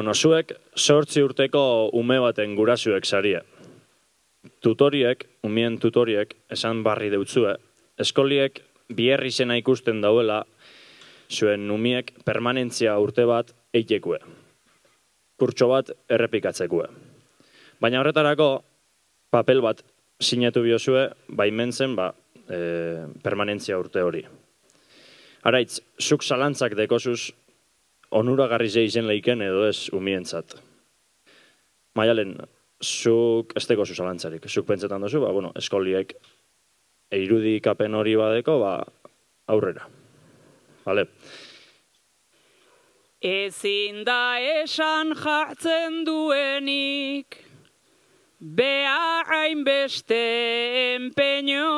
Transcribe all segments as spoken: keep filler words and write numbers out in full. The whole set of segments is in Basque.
Bueno, zuek zortzi urteko ume baten gurasuek sarie. Tutoriek, umien tutoriek, esan barri deutzue, eskoliek biherri zena ikusten dauela, zuen umiek permanentzia urte bat eitekue. Kurtso bat errepikatzekue. Baina horretarako, papel bat sinatu biozue, baimentzen ba, e, permanentzia urte hori. Araitz, zuk zalantzak dekozuz, onuragarri ze izen leiken edo ez umientzat. Maialen, zuk ez dekozu zalantzarik. Zuk pentsetan dozu, ba, bueno, eskoliek irudikapen hori badeko, ba, aurrera. Vale. Ezin da esan jartzen duenik, behar hainbeste empeño,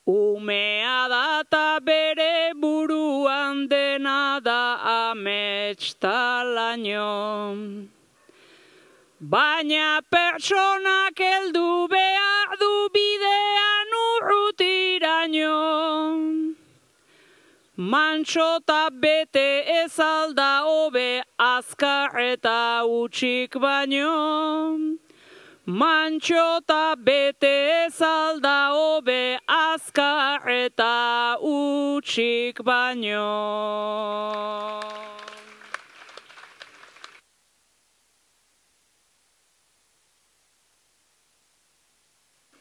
umea data bere buruan dena da amets talaino. Baina pertsonak heldu behar du bidean urrutiraino. Mantxo eta bete ez alda hobe azkar eta utxik baino. Mantxo eta bete ez alda hobe azkar eta utxik baino.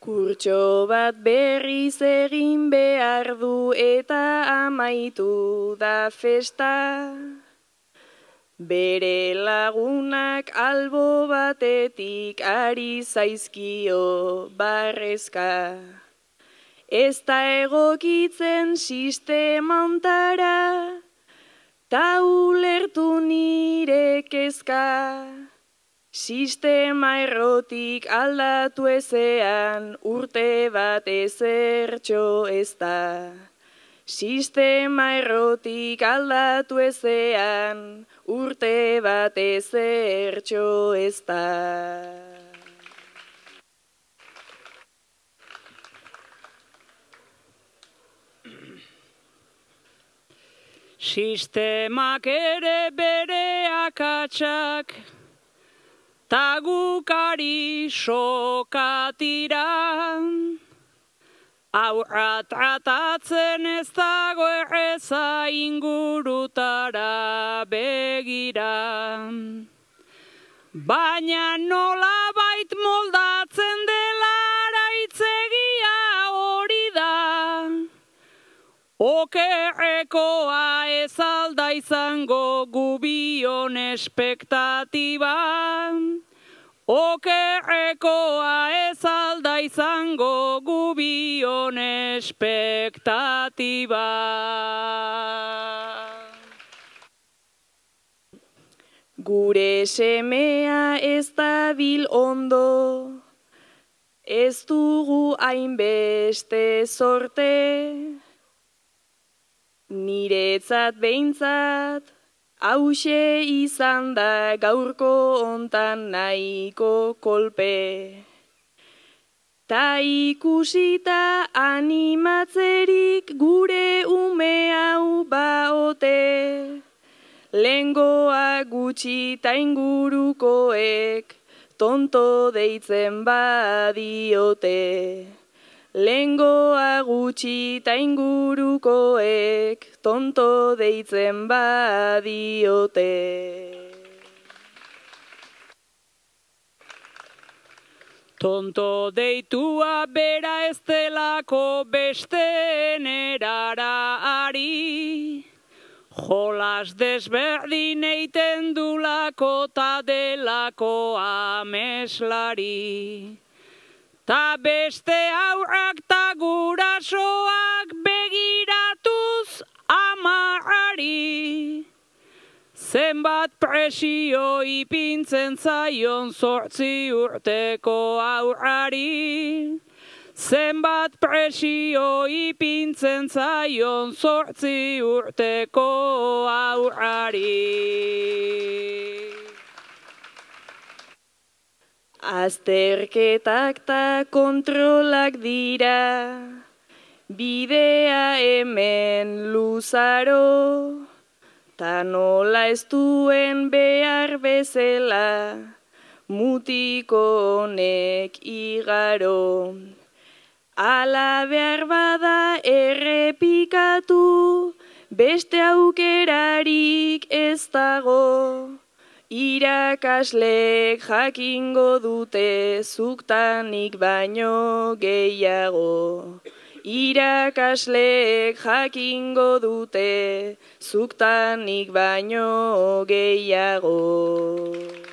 Kurtso bat berriz egin behar du eta amaitu da festa. Bere lagunak albo batetik ari zaizkio barrezka. Ez da egokitzen sistema ontara, ta ulertu nire kezka. Sistema errotik aldatu ezean, urte bat ezertxo ez da. Sistema errotik aldatu ezean, urte bat ezertxo ez da. Sistemak ere bere akatsak, ta gukari sokatira. Aurra tratatzen ez dago erreza ingurutara begira. Baina nola bait moldatzen dela araitzegia hori da. Okerrekoa ez alda izango gubion espektatiba. Okerrekoa ez alda izango gubion espektatiba. Gure semea ez dabil ondo, ez dugu hainbeste zorte. Niretzat behintzat, hauxe izan da gaurko hontan nahiko kolpe. Ta ikusita animatzerik gure ume hau baote. Lengoa gutxi ta ingurukoek tonto deitzen badiote. Lengoa gutxi ta ingurukoek tonto deitzen badiote. Tonto deitua bera ez delako besteen erara ari. Jolas desberdin eiten dulako ta delako ameslari. Ta beste aurrak ta gurasoak begiratuz amarrari. Zenbat presio ipintzen zaion zortzi urteko aurrari. Zenbat presio ipintzen zaion zortzi urteko aurrari. Azterketak ta kontrolak dira, bidea hemen luzaro, ta nola ez duen behar bezala, mutiko honek igaro. Ala behar bada errepikatu, beste aukerarik ez dago. Irakasleek jakingo dute zuktanik baino gehiago. Irakasleek jakingo dute zuktanik baino gehiago.